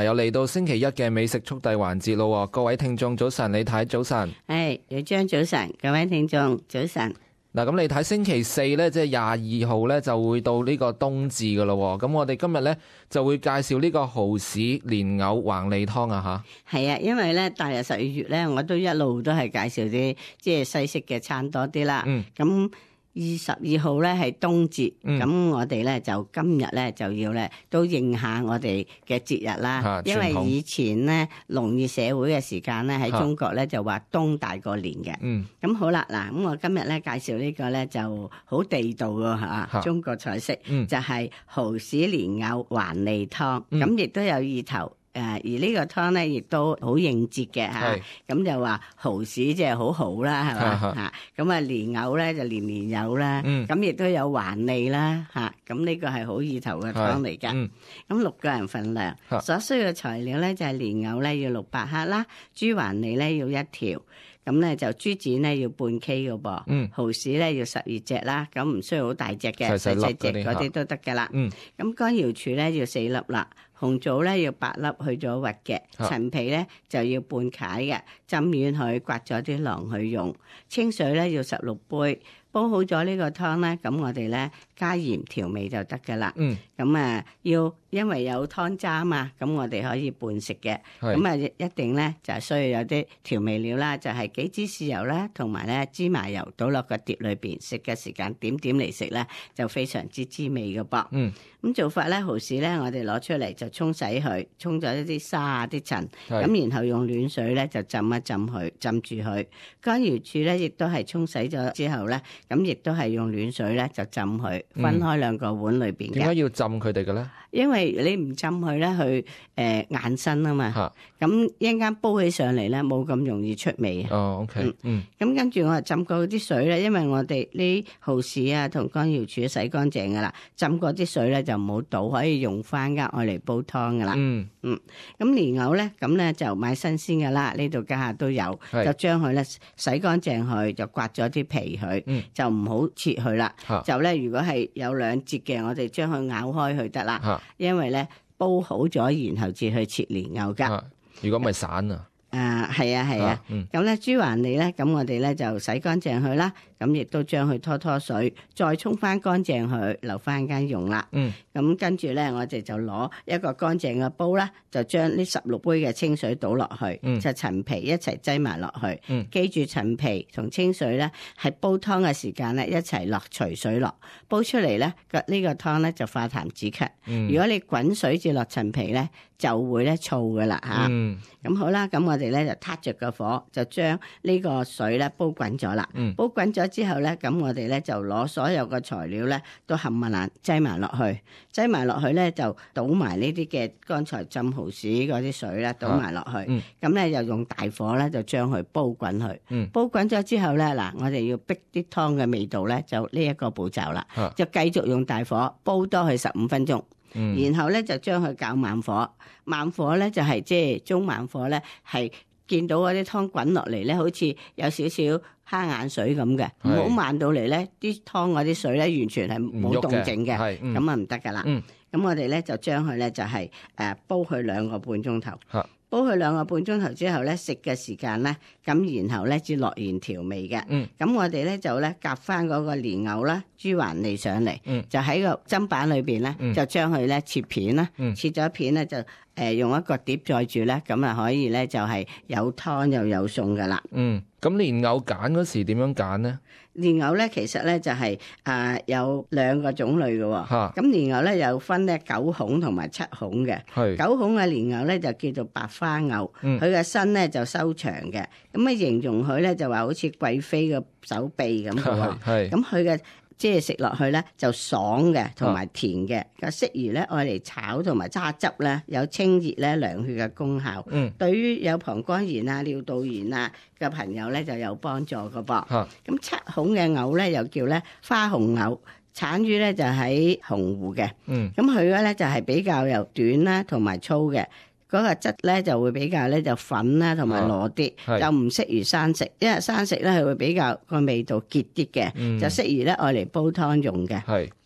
又嚟到星期一嘅美食速遞環節咯，各位聽眾早晨，李太早晨。李張早晨，各位聽眾早晨。嗱，咁你睇星期四咧，即係22號咧，就會到呢個冬至噶咯。咁我哋今日咧就會介紹呢個蠔豉蓮藕橫脷湯啊吓。係啊，因為咧大約12月咧，我都一路都係介紹啲即係西式嘅餐多啲啦。咁22號咧係冬至，咁我哋咧就今日咧就要咧都應下我哋嘅節日啦。因為以前咧農業社會嘅時間咧喺中國咧就話冬大過年嘅。咁好啦，嗱，咁我今日咧介紹呢個咧就好地道嘅吓，中國菜式就係蠔豉蓮藕橫脷湯，咁亦都有意頭。而呢個湯咧，亦都好應節嘅嚇，咁就話蠔豉即係好好啦，係嘛嚇，咁啊蓮藕咧就年年有啦，咁亦都有橫脷啦嚇，咁呢個係好意頭嘅湯嚟㗎。咁6個人份量，所需要嘅材料咧就係蓮藕咧要600克啦，豬橫脷咧要1條。咁咧就豬展咧要半 K 嘅噃，蠔豉咧要12隻啦，咁唔需要好大隻嘅，細細隻嗰啲都得㗎啦。咁乾瑤柱咧要4粒啦，紅棗咧要8粒去咗核嘅，陳皮咧就要半解嘅，浸軟佢刮咗啲囊去用，清水咧要16杯。煲好咗呢個湯咧，咁我哋咧加鹽調味就得㗎啦。咁因為有湯渣嘛，咁我哋可以拌食嘅。咁一定咧就係需要有啲調味料啦，就係幾支豉油啦，同埋咧芝麻油倒落個碟裏邊，食嘅時間點點嚟食咧，就非常之滋味嘅噃。咁做法咧，蠔豉咧我哋攞出嚟就沖洗佢，沖咗一啲沙啊啲塵，咁然後用暖水咧就浸一浸佢，浸住佢。乾瑤柱咧亦都係沖洗咗之後咧。咁亦都係用暖水咧，就浸佢，分開2個碗裏邊嘅。點解要浸佢哋嘅咧？因為你唔浸佢咧，佢硬身啊嘛。咁一陣間煲起上嚟咧，冇咁容易出味。OK。咁跟住我浸過啲水咧，因為我哋呢蠔豉啊同乾瑤柱洗乾淨噶啦，浸過啲水咧就唔好倒，可以用翻㗎，愛嚟煲湯噶啦。咁蓮藕咧，咁咧就買新鮮噶啦，呢度家下都有，就將佢咧洗乾淨佢，就刮咗啲皮佢，就唔好切佢啦。就咧如果係有2節嘅，我哋將佢咬開佢得啦。因為咧煲好咗，然後至去切蓮藕噶。如果咪散啊？係啊。咁咧豬橫脷咧，咁我哋咧就洗乾淨佢啦。咁亦都將佢拖水，再沖翻乾淨佢，留翻間用啦。咁跟住咧，我哋就攞一個乾淨嘅煲啦，就將呢16杯嘅清水倒落去，就陳皮一齊擠埋落去。記住陳皮同清水咧，係煲湯嘅時間咧一齊落，隨水落，煲出嚟咧呢個湯咧就化痰止咳。如果你滾水至落陳皮咧，就會咧燥噶啦嚇。咁好啦，咁我哋咧就撻着個火，就將呢個水咧煲滾咗啦。煲滾咗之後咧，咁我哋咧就攞所有嘅材料咧都冚唪唥擠埋落去，擠埋落去咧就倒埋呢啲嘅剛才浸蠔豉嗰啲水咧倒埋落去，咁咧又用大火咧就將佢煲滾佢。煲滾咗之後咧，嗱我哋要逼啲湯嘅味道咧，就呢一個步驟啦，就繼續用大火煲多佢15分鐘。然後咧就將佢較慢火，慢火咧就係即係中慢火咧，係見到嗰啲湯滾落嚟咧，好似有少少蝦眼水咁嘅，唔好慢到嚟咧，啲湯嗰啲水咧完全係冇動靜嘅，咁啊唔得噶啦。咁我哋咧就將佢咧就係煲佢2個半鐘頭。煲佢2個半鐘頭之後咧，食嘅時間咧，咁然後咧至落完調味嘅。咁我哋咧就咧夾翻嗰個蓮藕啦、豬橫脷上嚟，就喺個砧板裏邊咧，就將佢咧切片啦，切咗片咧就用一個碟載住咧，咁啊可以咧就係有湯又有餸噶啦。咁蓮藕揀嗰時點樣揀呢？蓮藕咧其實咧就係有2個種類嘅喎。咁蓮藕咧有分咧9孔同埋7孔嘅。9孔嘅蓮藕咧就叫做白花藕，佢嘅身咧就收長嘅。咁啊形容佢咧就話好似貴妃嘅手臂咁嘅喎。咁佢嘅即係食落去咧就爽嘅，同埋甜嘅，適宜咧愛嚟炒同埋揸汁咧，有清熱咧涼血嘅功效。對於有膀胱炎啊、尿道炎啊嘅朋友咧就有幫助嘅噃。咁7孔嘅藕咧又叫咧花紅藕，產於咧就喺洪湖嘅。咁佢咧就係比較又短啦，同埋粗嘅。嗰個質咧就會比較咧就粉啦，同埋糯啲，就唔適宜生食，因為生食咧係會比較個味道結啲嘅，就適宜咧愛嚟煲湯用嘅。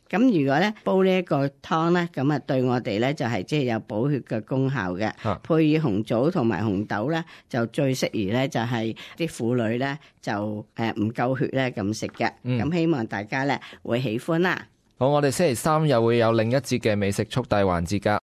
咁如果咧煲呢一個湯咧，咁啊對我哋咧就係即係有補血嘅功效嘅。配以紅棗同埋紅豆咧，就最適宜咧就係啲婦女咧就唔夠血咧咁食嘅。咁希望大家咧會喜歡啦。好，我哋星期三又會有另一節嘅美食速遞環節㗎。